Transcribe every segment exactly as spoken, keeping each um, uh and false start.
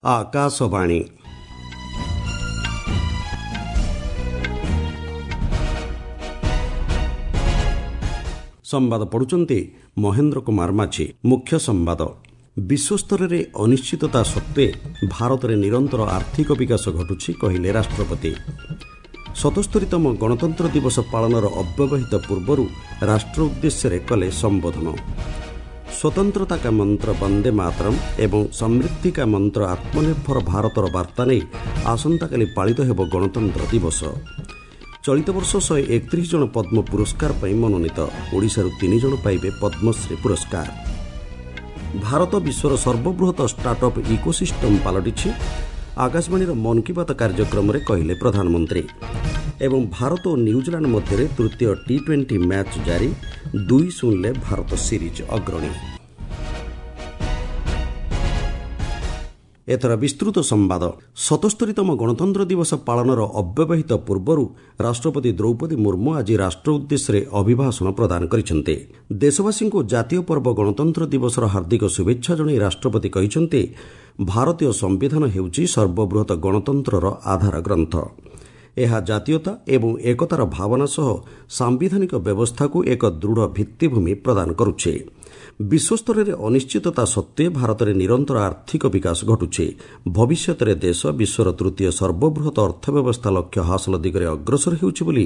ଆକାଶବାଣୀ। ସମ୍ବାଦ ପଢୁଛନ୍ତି ମହେନ୍ଦ୍ର କୁମାର ମାଝୀ। ମୁଖ୍ୟ ସମ୍ବାଦ। ବିଶ୍ୱସ୍ତରରେ ଅନିଶ୍ଚିତତା ସତ୍ତ୍ୱେ ଭାରତରେ ନିରନ୍ତର ଆର୍ଥିକ ବିକାଶ ଘଟୁଛି, କହିଲେ ରାଷ୍ଟ୍ରପତି। ସତସ୍ତରୀତମ ଗଣତନ୍ତ୍ର ଦିବସ ପାଳନର ଅବ୍ୟବହିତ ପୂର୍ବରୁ ରାଷ୍ଟ୍ର ଉଦ୍ଦେଶ୍ୟରେ କଲେ ସମ୍ବୋଧନ। ସ୍ୱତନ୍ତ୍ରତା କା ମନ୍ତ୍ର ବନ୍ଦେ ମାତରମ୍ ଏବଂ ସମୃଦ୍ଧି କା ମନ୍ତ୍ର ଆତ୍ମନିର୍ଭର ଭାରତର ବାର୍ତ୍ତା ନେଇ ଆସନ୍ତାକାଲି ପାଳିତ ହେବ ଗଣତନ୍ତ୍ର ଦିବସ। ଚଳିତ ବର୍ଷ ଶହେ ଏକତିରିଶ ଜଣ ପଦ୍ମ ପୁରସ୍କାର ପାଇଁ ମନୋନୀତ, ଓଡ଼ିଶାରୁ ତିନି ଜଣ ପାଇବେ ପଦ୍ମଶ୍ରୀ ପୁରସ୍କାର। ଭାରତ ବିଶ୍ୱର ସର୍ବବୃହତ ଷ୍ଟାର୍ଟଅପ୍ ଇକୋସିଷ୍ଟମ୍ ପାଲଟିଛି, ଆକାଶବାଣୀର ମନ୍ କି ବାତ୍ କାର୍ଯ୍ୟକ୍ରମରେ କହିଲେ ପ୍ରଧାନମନ୍ତ୍ରୀ। ଏବଂ ଭାରତ ଓ ନ୍ୟୁଜିଲାଣ୍ଡ ମଧ୍ୟରେ ତୃତୀୟ ଟି ଟ୍ୱେଣ୍ଟି ମ୍ୟାଚ୍ ଜାରି, ଦୁଇ ଶୂନରେ ଭାରତ ସିରିଜ୍ ଅଗ୍ରଣୀ। ଏଥର ବିସ୍ତୃତ ସମ୍ବାଦ। ସତସ୍ତରୀତମ ଗଣତନ୍ତ୍ର ଦିବସ ପାଳନର ଅବ୍ୟବହିତ ପୂର୍ବରୁ ରାଷ୍ଟ୍ରପତି ଦ୍ରୌପଦୀ ମୁର୍ମୁ ଆଜି ରାଷ୍ଟ୍ର ଉଦ୍ଦେଶ୍ୟରେ ଅଭିଭାଷଣ ପ୍ରଦାନ କରିଛନ୍ତି। ଦେଶବାସୀଙ୍କୁ ଜାତୀୟ ପର୍ବ ଗଣତନ୍ତ୍ର ଦିବସର ହାର୍ଦ୍ଦିକ ଶୁଭେଚ୍ଛା ଜଣାଇ ରାଷ୍ଟ୍ରପତି କହିଛନ୍ତି, ଭାରତୀୟ ସମ୍ବିଧାନ ହେଉଛି ସର୍ବବୃହତ ଗଣତନ୍ତ୍ରର ଆଧାର ଗ୍ରନ୍ଥ। ଏହା ଜାତୀୟତା ଏବଂ ଏକତାର ଭାବନା ସହ ସାମ୍ବିଧାନିକ ବ୍ୟବସ୍ଥାକୁ ଏକ ଦୃଢ଼ ଭିତ୍ତିଭୂମି ପ୍ରଦାନ କରୁଛି। ବିଶ୍ୱସ୍ତରରେ ଅନିଶ୍ଚିତତା ସତ୍ତ୍ୱେ ଭାରତରେ ନିରନ୍ତର ଆର୍ଥିକ ବିକାଶ ଘଟୁଛି। ଭବିଷ୍ୟତରେ ଦେଶ ବିଶ୍ୱର ତୃତୀୟ ସର୍ବବୃହତ ଅର୍ଥବ୍ୟବସ୍ଥା ଲକ୍ଷ୍ୟ ହାସଲ ଦିଗରେ ଅଗ୍ରସର ହେଉଛି ବୋଲି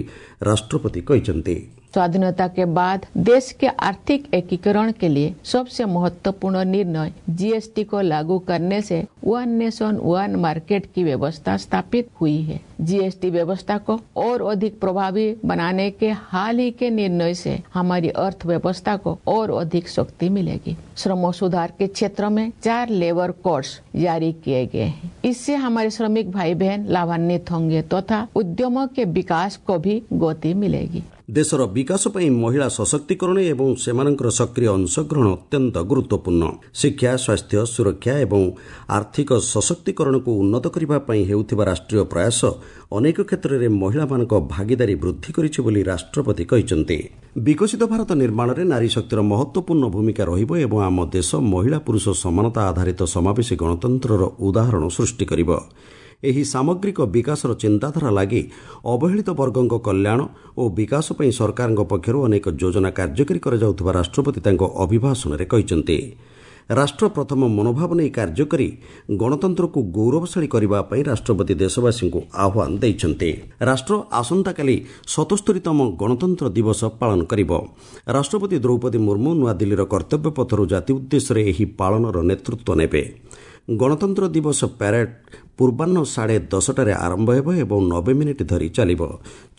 ରାଷ୍ଟ୍ରପତି କହିଛନ୍ତି। स्वाधीनता के बाद देश के आर्थिक एकीकरण के लिए सबसे महत्वपूर्ण निर्णय जीएसटी को लागू करने से वन नेशन वन मार्केट की व्यवस्था स्थापित हुई है। जीएसटी व्यवस्था को और अधिक प्रभावी बनाने के हाल ही के निर्णय से हमारी अर्थव्यवस्था को और अधिक शक्ति मिलेगी। श्रम सुधार के क्षेत्र में चार लेबर कोड्स जारी किए गए हैं। इससे हमारे श्रमिक भाई बहन लाभान्वित होंगे तथा उद्यमों के विकास को भी गति मिलेगी। ଦେଶର ବିକାଶ ପାଇଁ ମହିଳା ସଶକ୍ତିକରଣ ଏବଂ ସେମାନଙ୍କର ସକ୍ରିୟ ଅଂଶଗ୍ରହଣ ଅତ୍ୟନ୍ତ ଗୁରୁତ୍ୱପୂର୍ଣ୍ଣ। ଶିକ୍ଷା, ସ୍ୱାସ୍ଥ୍ୟ, ସୁରକ୍ଷା ଏବଂ ଆର୍ଥିକ ସଶକ୍ତିକରଣକୁ ଉନ୍ନତ କରିବା ପାଇଁ ହେଉଥିବା ରାଷ୍ଟ୍ରୀୟ ପ୍ରୟାସ ଅନେକ କ୍ଷେତ୍ରରେ ମହିଳାମାନଙ୍କ ଭାଗିଦାରୀ ବୃଦ୍ଧି କରିଛି ବୋଲି ରାଷ୍ଟ୍ରପତି କହିଛନ୍ତି। ବିକଶିତ ଭାରତ ନିର୍ମାଣରେ ନାରୀ ଶକ୍ତିର ମହତ୍ୱପୂର୍ଣ୍ଣ ଭୂମିକା ରହିବ ଏବଂ ଆମ ଦେଶ ମହିଳା ପୁରୁଷ ସମାନତା ଆଧାରିତ ସମାବେଶୀ ଗଣତନ୍ତ୍ରର ଉଦାହରଣ ସୃଷ୍ଟି କରିବ। ଏହି ସାମଗ୍ରିକ ବିକାଶର ଚିନ୍ତାଧାରା ଲାଗି ଅବହେଳିତ ବର୍ଗଙ୍କ କଲ୍ୟାଣ ଓ ବିକାଶ ପାଇଁ ସରକାରଙ୍କ ପକ୍ଷରୁ ଅନେକ ଯୋଜନା କାର୍ଯ୍ୟକାରୀ କରାଯାଉଥିବା ରାଷ୍ଟ୍ରପତି ତାଙ୍କ ଅଭିଭାଷଣରେ କହିଛନ୍ତି। ରାଷ୍ଟ୍ର ପ୍ରଥମ ମନୋଭାବ ନେଇ କାର୍ଯ୍ୟ କରି ଗଣତନ୍ତ୍ରକୁ ଗୌରବଶାଳୀ କରିବା ପାଇଁ ରାଷ୍ଟ୍ରପତି ଦେଶବାସୀଙ୍କୁ ଆହ୍ୱାନ ଦେଇଛନ୍ତି। ରାଷ୍ଟ୍ର ଆସନ୍ତାକାଲି ସତସ୍ତରୀତମ ଗଣତନ୍ତ୍ର ଦିବସ ପାଳନ କରିବ। ରାଷ୍ଟ୍ରପତି ଦ୍ରୌପଦୀ ମୁର୍ମୁ ନୂଆଦିଲ୍ଲୀର କର୍ତ୍ତବ୍ୟ ପଥରୁ ଜାତି ଉଦ୍ଦେଶ୍ୟରେ ଏହି ପାଳନର ନେତୃତ୍ୱ ନେବେ। ଗଣତନ୍ତ୍ର ଦିବସ ପ୍ୟାରେଡ୍ ପୂର୍ବାହ୍ନ ସାଢ଼େ ଦଶଟାରେ ଆରମ୍ଭ ହେବ ଏବଂ ନବେ ମିନିଟ୍ ଧରି ଚାଲିବ।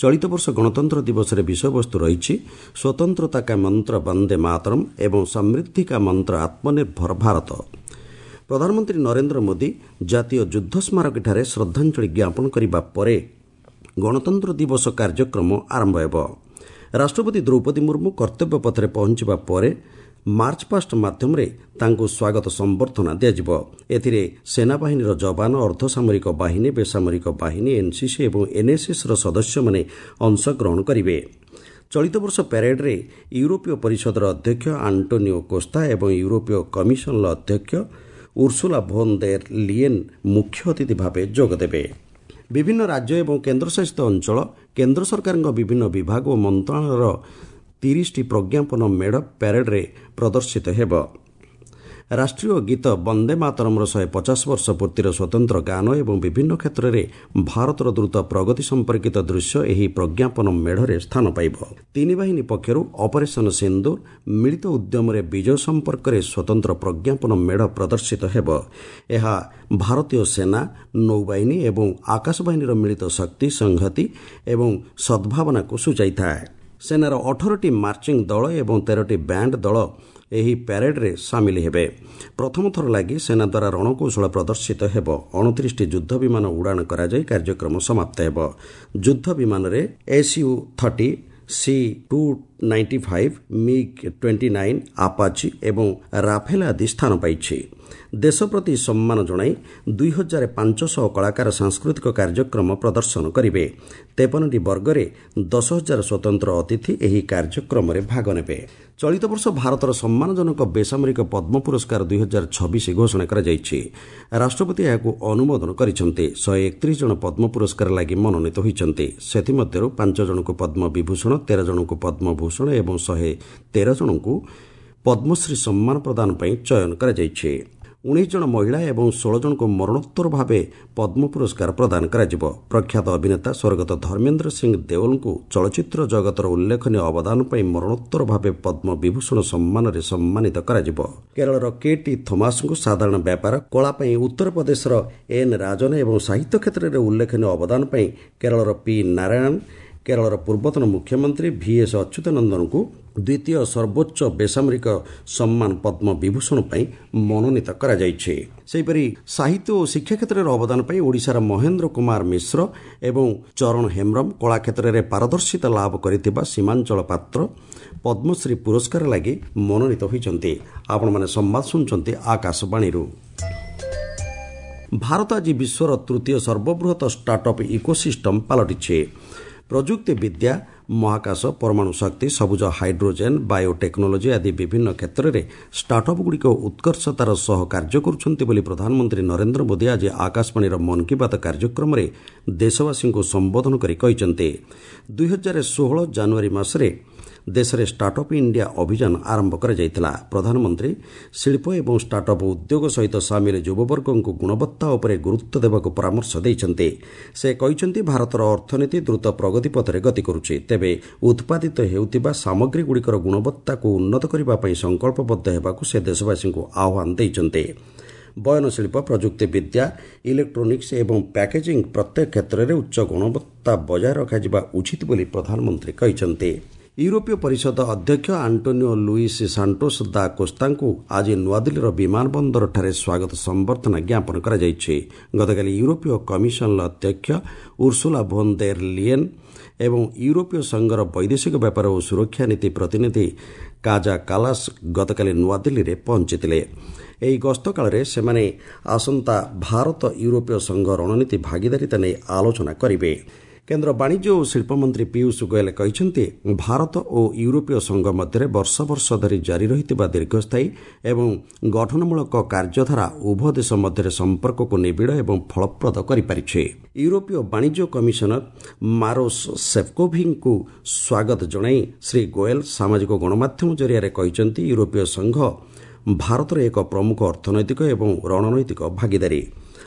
ଚଳିତ ବର୍ଷ ଗଣତନ୍ତ୍ର ଦିବସରେ ବିଷୟବସ୍ତୁ ରହିଛି ସ୍ୱତନ୍ତ୍ରତା କା ମନ୍ତ୍ର ବନ୍ଦେ ମାତରମ୍ ଏବଂ ସମୃଦ୍ଧି କା ମନ୍ତ୍ର ଆତ୍ମନିର୍ଭର ଭାରତ। ପ୍ରଧାନମନ୍ତ୍ରୀ ନରେନ୍ଦ୍ର ମୋଦି ଜାତୀୟ ଯୁଦ୍ଧ ସ୍ମାରକୀଠାରେ ଶ୍ରଦ୍ଧାଞ୍ଜଳି ଜ୍ଞାପନ କରିବା ପରେ ଗଣତନ୍ତ୍ର ଦିବସ କାର୍ଯ୍ୟକ୍ରମ ଆରମ୍ଭ ହେବ। ରାଷ୍ଟ୍ରପତି ଦ୍ରୌପଦୀ ମୁର୍ମୁ କର୍ତ୍ତବ୍ୟ ପଥରେ ପହଞ୍ଚିବା ପରେ ମାର୍ଚ୍ଚ ପାଷ୍ଟ ମାଧ୍ୟମରେ ତାଙ୍କୁ ସ୍ୱାଗତ ସମ୍ବର୍ଦ୍ଧନା ଦିଆଯିବ। ଏଥିରେ ସେନାବାହିନୀର ଯବାନ, ଅର୍ଦ୍ଧସାମରିକ ବାହିନୀ, ବେସାମରିକ ବାହିନୀ, ଏନ୍ସିସି ଏବଂ ଏନ୍ଏସ୍ଏସ୍ର ସଦସ୍ୟମାନେ ଅଂଶଗ୍ରହଣ କରିବେ। ଚଳିତ ବର୍ଷ ପ୍ୟାରେଡ୍ରେ ୟୁରୋପୀୟ ପରିଷଦର ଅଧ୍ୟକ୍ଷ ଆଣ୍ଟୋନିଓ କୋସ୍ତା ଏବଂ ୟୁରୋପୀୟ କମିଶନର ଅଧ୍ୟକ୍ଷ ଉର୍ସୁଲା ଭୋନ୍ ଦେର୍ ଲିଏନ୍ ମୁଖ୍ୟ ଅତିଥି ଭାବେ ଯୋଗଦେବେ। ବିଭିନ୍ନ ରାଜ୍ୟ ଏବଂ କେନ୍ଦ୍ରଶାସିତ ଅଞ୍ଚଳ, କେନ୍ଦ୍ର ସରକାରଙ୍କ ବିଭିନ୍ନ ବିଭାଗ ଓ ମନ୍ତ୍ରଣାଳୟର ତିରିଶଟି ପ୍ରଜ୍ଞାପନ ମେଢ଼ ପ୍ୟାରେଡ୍ରେ ପ୍ରଦର୍ଶିତ ହେବ। ରାଷ୍ଟ୍ରୀୟ ଗୀତ ବନ୍ଦେ ମାତରମ୍ର ଶହେ ପଚାଶ ବର୍ଷ ପୂର୍ତ୍ତିର ସ୍ୱତନ୍ତ୍ର ଗାନ ଏବଂ ବିଭିନ୍ନ କ୍ଷେତ୍ରରେ ଭାରତର ଦ୍ରୁତ ପ୍ରଗତି ସମ୍ପର୍କିତ ଦୃଶ୍ୟ ଏହି ପ୍ରଜ୍ଞାପନ ମେଢ଼ରେ ସ୍ଥାନ ପାଇବ। ତିନି ବାହିନୀ ପକ୍ଷରୁ ଅପରେସନ୍ ସିନ୍ଦୁର ମିଳିତ ଉଦ୍ୟମରେ ବିଜୟ ସମ୍ପର୍କରେ ସ୍ୱତନ୍ତ୍ର ପ୍ରଜ୍ଞାପନ ମେଢ଼ ପ୍ରଦର୍ଶିତ ହେବ। ଏହା ଭାରତୀୟ ସେନା, ନୌବାହିନୀ ଏବଂ ଆକାଶବାହିନୀର ମିଳିତ ଶକ୍ତି, ସଂହତି ଏବଂ ସଦ୍ଭାବନାକୁ ସୂଚାଇଥାଏ। ସେନାର ଅଠରଟି ମାର୍ଚିଂ ଦଳ ଏବଂ ତେରଟି ବ୍ୟାଣ୍ଡ ଦଳ ଏହି ପ୍ୟାରେଡ୍ରେ ସାମିଲ ହେବେ। ପ୍ରଥମ ଥର ଲାଗି ସେନା ଦ୍ୱାରା ରଣକୌଶଳ ପ୍ରଦର୍ଶିତ ହେବ। ଅଣତିରିଶଟି ଯୁଦ୍ଧ ବିମାନ ଉଡ଼ାଣ କରାଯାଇ କାର୍ଯ୍ୟକ୍ରମ ସମାପ୍ତ ହେବ। ଯୁଦ୍ଧ ବିମାନରେ SU thirty, C two ninety five, MiG twenty nine, Apache ଏବଂ ରାଫେଲ ଆଦି ସ୍ଥାନ ପାଇଛି। ଦେଶ ପ୍ରତି ସମ୍ମାନ ଜଣାଇ ଦୁଇ ହଜାର ପାଞ୍ଚଶହ କଳାକାର ସାଂସ୍କୃତିକ କାର୍ଯ୍ୟକ୍ରମ ପ୍ରଦର୍ଶନ କରିବେ। ତେପନଟି ବର୍ଗରେ ଦଶ ହଜାର ସ୍ୱତନ୍ତ୍ର ଅତିଥି ଏହି କାର୍ଯ୍ୟକ୍ରମରେ ଭାଗ ନେବେ। ଚଳିତ ବର୍ଷ ଭାରତର ସମ୍ମାନଜନକ ବେସାମରିକ ପଦ୍ମ ପୁରସ୍କାର ଦୁଇ ହଜାର ଛବିଶ ଘୋଷଣା କରାଯାଇଛି। ରାଷ୍ଟ୍ରପତି ଏହାକୁ ଅନୁମୋଦନ କରିଛନ୍ତି। ଶହେ ଏକତିରିଶ ଜଣ ପଦ୍ମ ପୁରସ୍କାର ଲାଗି ମନୋନୀତ ହୋଇଛନ୍ତି। ସେଥିମଧ୍ୟରୁ ପାଞ୍ଚ ଜଣଙ୍କୁ ପଦ୍ମ ବିଭୂଷଣ, ତେର ଜଣଙ୍କୁ ପଦ୍ମଭୂଷଣ ଏବଂ ଶହେ ତେର ଜଣଙ୍କୁ ପଦ୍ମଶ୍ରୀ ସମ୍ମାନ ପ୍ରଦାନ ପାଇଁ ଚୟନ କରାଯାଇଛି। ଉଣେଇଶ ଜଣ ମହିଳା ଏବଂ ଷୋହଳ ଜଣଙ୍କୁ ମରଣୋତ୍ତର ଭାବେ ପଦ୍ମ ପୁରସ୍କାର ପ୍ରଦାନ କରାଯିବ। ପ୍ରଖ୍ୟାତ ଅଭିନେତା ସ୍ୱର୍ଗତ ଧର୍ମେନ୍ଦ୍ର ସିଂ ଦେଓଲଙ୍କୁ ଚଳଚ୍ଚିତ୍ର ଜଗତର ଉଲ୍ଲେଖନୀୟ ଅବଦାନ ପାଇଁ ମରଣୋତ୍ତର ଭାବେ ପଦ୍ମ ବିଭୂଷଣ ସମ୍ମାନରେ ସମ୍ମାନିତ କରାଯିବ। କେରଳର କେ ଟି ଥୋମାସଙ୍କୁ ସାଧାରଣ ବ୍ୟାପାର କଳା ପାଇଁ, ଉତ୍ତରପ୍ରଦେଶର ଏନ୍ ରାଜନ ଏବଂ ସାହିତ୍ୟ କ୍ଷେତ୍ରରେ ଉଲ୍ଲେଖନୀୟ ଅବଦାନ ପାଇଁ କେରଳର ପି ନାରାୟଣ, କେରଳର ପୂର୍ବତନ ମୁଖ୍ୟମନ୍ତ୍ରୀ ଭିଏସ୍ ଅଚ୍ୟୁତାନନ୍ଦନଙ୍କୁ ଦ୍ୱିତୀୟ ସର୍ବୋଚ୍ଚ ବେସାମରିକ ସମ୍ମାନ ପଦ୍ମ ବିଭୂଷଣ ପାଇଁ ମନୋନୀତ କରାଯାଇଛି। ସେହିପରି ସାହିତ୍ୟ ଓ ଶିକ୍ଷା କ୍ଷେତ୍ରରେ ଅବଦାନ ପାଇଁ ଓଡ଼ିଶାର ମହେନ୍ଦ୍ର କୁମାର ମିଶ୍ର ଏବଂ ଚରଣ ହେମ୍ବ୍ରମ, କଳା କ୍ଷେତ୍ରରେ ପାରଦର୍ଶିତା ଲାଭ କରିଥିବା ସୀମାଞ୍ଚଳ ପାତ୍ର ପଦ୍ମଶ୍ରୀ ପୁରସ୍କାର ଲାଗି ମନୋନୀତ ହୋଇଛନ୍ତି। ଆପଣମାନେ ସମ୍ବାଦ ଶୁଣୁଛନ୍ତି ଆକାଶବାଣୀରୁ। ଭାରତ ଆଜି ବିଶ୍ୱର ତୃତୀୟ ସର୍ବବୃହତ ଷ୍ଟାର୍ଟଅପ୍ ଇକୋସିଷ୍ଟମ୍ ପାଲଟିଛି। ପ୍ରଯୁକ୍ତି ବିଦ୍ୟା, ମହାକାଶ, ପରମାଣୁ ଶକ୍ତି, ସବୁଜ ହାଇଡ୍ରୋଜେନ୍, ବାୟୋଟେକ୍ନୋଲୋଜି ଆଦି ବିଭିନ୍ନ କ୍ଷେତ୍ରରେ ଷ୍ଟାର୍ଟଅପ୍ଗୁଡ଼ିକ ଉତ୍କର୍ଷତାର ସହ କାର୍ଯ୍ୟ କରୁଛନ୍ତି ବୋଲି ପ୍ରଧାନମନ୍ତ୍ରୀ ନରେନ୍ଦ୍ର ମୋଦି ଆଜି ଆକାଶବାଣୀର ମନ୍ କି ବାତ୍ କାର୍ଯ୍ୟକ୍ରମରେ ଦେଶବାସୀଙ୍କୁ ସମ୍ବୋଧନ କରି କହିଛନ୍ତି। ଦୁଇ ହଜାର ଷୋହଳ ଜାନୁଆରୀ ମାସରେ ଦେଶରେ ଷ୍ଟାର୍ଟଅପ୍ ଇଣ୍ଡିଆ ଅଭିଯାନ ଆରମ୍ଭ କରାଯାଇଥିଲା। ପ୍ରଧାନମନ୍ତ୍ରୀ ଶିଳ୍ପ ଏବଂ ଷ୍ଟାର୍ଟଅପ୍ ଉଦ୍ୟୋଗ ସହିତ ସାମିଲ ଯୁବବର୍ଗଙ୍କୁ ଗୁଣବତ୍ତା ଉପରେ ଗୁରୁତ୍ୱ ଦେବାକୁ ପରାମର୍ଶ ଦେଇଛନ୍ତି। ସେ କହିଛନ୍ତି, ଭାରତର ଅର୍ଥନୀତି ଦ୍ରୁତ ପ୍ରଗତି ପଥରେ ଗତି କରୁଛି। ତେବେ ଉତ୍ପାଦିତ ହେଉଥିବା ସାମଗ୍ରୀଗୁଡ଼ିକର ଗୁଣବତ୍ତାକୁ ଉନ୍ନତ କରିବା ପାଇଁ ସଂକଳ୍ପବଦ୍ଧ ହେବାକୁ ସେ ଦେଶବାସୀଙ୍କୁ ଆହ୍ୱାନ ଦେଇଛନ୍ତି। ବୟନଶିଳ୍ପ, ପ୍ରଯୁକ୍ତି ବିଦ୍ୟା, ଇଲେକ୍ଟ୍ରୋନିକ୍ସ ଏବଂ ପ୍ୟାକେଜିଂ ପ୍ରତ୍ୟେକ କ୍ଷେତ୍ରରେ ଉଚ୍ଚ ଗୁଣବତ୍ତା ବଜାୟ ରଖାଯିବା ଉଚିତ ବୋଲି ପ୍ରଧାନମନ୍ତ୍ରୀ କହିଛନ୍ତି। ୟୁରୋପୀୟ ପରିଷଦ ଅଧ୍ୟକ୍ଷ ଆଣ୍ଟୋନିଓ ଲୁଇସ୍ ସାଣ୍ଟୋସ୍ ଦା କୋସ୍ତାଙ୍କୁ ଆଜି ନୂଆଦିଲ୍ଲୀର ବିମାନ ବନ୍ଦରଠାରେ ସ୍ୱାଗତ ସମ୍ବର୍ଦ୍ଧନା ଜ୍ଞାପନ କରାଯାଇଛି। ଗତକାଲି ୟୁରୋପୀୟ କମିଶନର ଅଧ୍ୟକ୍ଷ ଉର୍ସୁଲା ଭୋନ୍ ଦେର୍ ଲିଏନ୍ ଏବଂ ୟୁରୋପୀୟ ସଂଘର ବୈଦେଶିକ ବ୍ୟାପାର ଓ ସୁରକ୍ଷା ନୀତି ପ୍ରତିନିଧି କାଜା କାଲାସ୍ ଗତକାଲି ନୂଆଦିଲ୍ଲୀରେ ପହଞ୍ଚିଥିଲେ। ଏହି ଗସ୍ତ କାଳରେ ସେମାନେ ଆସନ୍ତା ଭାରତ ୟୁରୋପୀୟ ସଂଘ ରଣନୀତି ଭାଗିଦାରିତା ନେଇ ଆଲୋଚନା କରିବେ। କେନ୍ଦ୍ର ବାଣିଜ୍ୟ ଓ ଶିଳ୍ପମନ୍ତ୍ରୀ ପୀୟୁଷ ଗୋଏଲ କହିଛନ୍ତି, ଭାରତ ଓ ୟୁରୋପୀୟ ସଂଘ ମଧ୍ୟରେ ବର୍ଷ ବର୍ଷ ଧରି ଜାରି ରହିଥିବା ଦୀର୍ଘସ୍ଥାୟୀ ଏବଂ ଗଠନମୂଳକ କାର୍ଯ୍ୟଧାରା ଉଭୟ ଦେଶ ମଧ୍ୟରେ ସମ୍ପର୍କକୁ ନିବିଡ଼ ଏବଂ ଫଳପ୍ରଦ କରିପାରିଛି। ୟୁରୋପୀୟ ବାଣିଜ୍ୟ କମିଶନର ମାରୋସ୍ ସେଫ୍କୋଭିଙ୍କୁ ସ୍ୱାଗତ ଜଣାଇ ଶ୍ରୀ ଗୋଏଲ ସାମାଜିକ ଗଣମାଧ୍ୟମ ଜରିଆରେ କହିଛନ୍ତି, ୟୁରୋପୀୟ ସଂଘ ଭାରତର ଏକ ପ୍ରମୁଖ ଅର୍ଥନୈତିକ ଏବଂ ରଣନୈତିକ ଭାଗିଦାରୀ।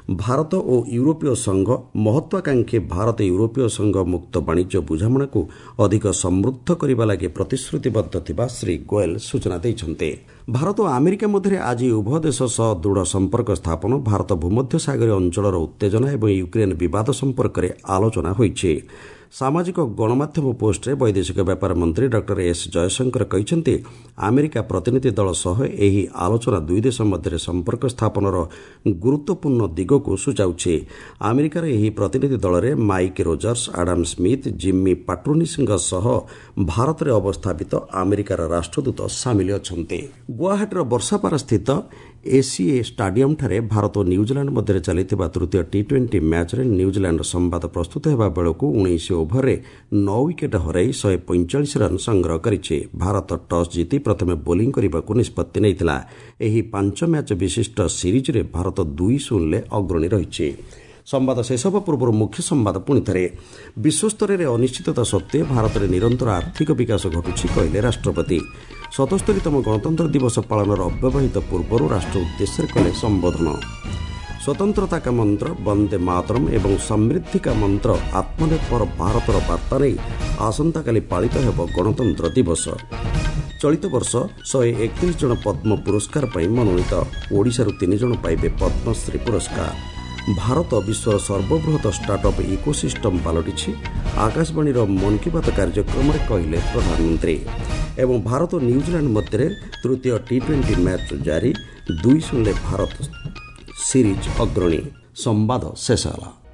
ଭାରତ ଓ ୟୁରୋପୀୟ ସଂଘ ମହତ୍ୱାକାଂକ୍ଷୀ ଭାରତ ୟୁରୋପୀୟ ସଂଘ ମୁକ୍ତ ବାଣିଜ୍ୟ ବୁଝାମଣାକୁ ଅଧିକ ସମୃଦ୍ଧ କରିବା ଲାଗି ପ୍ରତିଶ୍ରୁତିବଦ୍ଧ ଥିବା ଶ୍ରୀ ଗୋଏଲ ସୂଚନା ଦେଇଛନ୍ତି। ଭାରତ ଓ ଆମେରିକା ମଧ୍ୟରେ ଆଜି ଉଭୟ ଦେଶ ସହ ଦୃଢ଼ ସମ୍ପର୍କ ସ୍ଥାପନ, ଭାରତ ଭୂମଧ୍ୟସାଗରୀୟ ଅଞ୍ଚଳର ଉତ୍ତେଜନା ଏବଂ ୟୁକ୍ରେନ୍ ବିବାଦ ସମ୍ପର୍କରେ ଆଲୋଚନା ହୋଇଛି। ସାମାଜିକ ଗଣମାଧ୍ୟମ ପୋଷ୍ଟରେ ବୈଦେଶିକ ବ୍ୟାପାର ମନ୍ତ୍ରୀ ଡକ୍ଟର ଏସ୍ ଜୟଶଙ୍କର କହିଛନ୍ତି, ଆମେରିକା ପ୍ରତିନିଧି ଦଳ ସହ ଏହି ଆଲୋଚନା ଦୁଇ ଦେଶ ମଧ୍ୟରେ ସମ୍ପର୍କ ସ୍ଥାପନର ଗୁରୁତ୍ୱପୂର୍ଣ୍ଣ ଦିଗକୁ ସୂଚାଉଛି। ଆମେରିକାର ଏହି ପ୍ରତିନିଧି ଦଳରେ Mike Rogers, Adam Smith, Jimmy ପାଟ୍ରୋନିସଙ୍କ ସହ ଭାରତରେ ଅବସ୍ଥାପିତ ଆମେରିକାର ରାଷ୍ଟ୍ରଦୂତ ସାମିଲ ଅଛନ୍ତି। ଗୁଆହାଟୀର ବର୍ଷାପାରାସ୍ଥିତ ଏସିଏ ଷ୍ଟାଡିୟମ୍ଠାରେ ଭାରତ ଓ ନ୍ୟୁଜିଲାଣ୍ଡ ମଧ୍ୟରେ ଚାଲିଥିବା ତୃତୀୟ ଟି ଟ୍ୱେଣ୍ଟି ମ୍ୟାଚ୍ରେ ନ୍ୟୁଜିଲାଣ୍ଡ ସମ୍ବାଦ ପ୍ରସ୍ତୁତ ହେବା ବେଳକୁ ଉଣେଇଶ ଓଭରରେ ନଅ ୱିକେଟ୍ ହରାଇ ଶହେ ପଇଁଚାଳିଶ ରନ୍ ସଂଗ୍ରହ କରିଛି। ଭାରତ ଟସ୍ ଜିତି ପ୍ରଥମେ ବୋଲିଂ କରିବାକୁ ନିଷ୍ପତ୍ତି ନେଇଥିଲା। ଏହି ପାଞ୍ଚ ମ୍ୟାଚ୍ ବିଶିଷ୍ଟ ସିରିଜ୍ରେ ଭାରତ ଦୁଇ ଶୂନରେ ଅଗ୍ରଣୀ ରହିଛି। ସମ୍ବାଦ ଶେଷ ହେବା ପୂର୍ବରୁ ମୁଖ୍ୟ ସମ୍ବାଦ ପୁଣିଥରେ। ବିଶ୍ୱସ୍ତରରେ ଅନିଶ୍ଚିତତା ସତ୍ତ୍ୱେ ଭାରତରେ ନିରନ୍ତର ଆର୍ଥିକ ବିକାଶ ଘଟୁଛି, କହିଲେ ରାଷ୍ଟ୍ରପତି। ସତସ୍ତରୀତମ ଗଣତନ୍ତ୍ର ଦିବସ ପାଳନର ଅବ୍ୟବହିତ ପୂର୍ବରୁ ରାଷ୍ଟ୍ର ଉଦ୍ଦେଶ୍ୟରେ କଲେ ସମ୍ବୋଧନ। ସ୍ୱତନ୍ତ୍ରତା କା ମନ୍ତ୍ର ବନ୍ଦେ ମାତରମ୍ ଏବଂ ସମୃଦ୍ଧି କା ମନ୍ତ୍ର ଆତ୍ମନିର୍ଭର ଭାରତର ବାର୍ତ୍ତା ନେଇ ଆସନ୍ତାକାଲି ପାଳିତ ହେବ ଗଣତନ୍ତ୍ର ଦିବସ। ଚଳିତ ବର୍ଷ ଶହେ ଏକତିରିଶ ଜଣ ପଦ୍ମ ପୁରସ୍କାର ପାଇଁ ମନୋନୀତ। ଓଡ଼ିଶାରୁ ତିନି ଜଣ ପାଇବେ ପଦ୍ମଶ୍ରୀ ପୁରସ୍କାର। ଭାରତ ବିଶ୍ୱର ସର୍ବବୃହତ ଷ୍ଟାର୍ଟଅପ୍ ଇକୋସିଷ୍ଟମ୍ ପାଲଟିଛି, ଆକାଶବାଣୀର ମନ୍ କି ବାତ୍ କାର୍ଯ୍ୟକ୍ରମରେ କହିଲେ ପ୍ରଧାନମନ୍ତ୍ରୀ। ଏବଂ ଭାରତ ଓ ନ୍ୟୁଜିଲାଣ୍ଡ ମଧ୍ୟରେ ତୃତୀୟ ଟି ଟ୍ୱେଣ୍ଟି ମ୍ୟାଚ୍ ଜାରି, ଦୁଇ ଶୂନରେ ଭାରତ ସିରିଜ୍ ଅଗ୍ରଣୀ। ସମ୍ବାଦ ଶେଷ ହେଲା।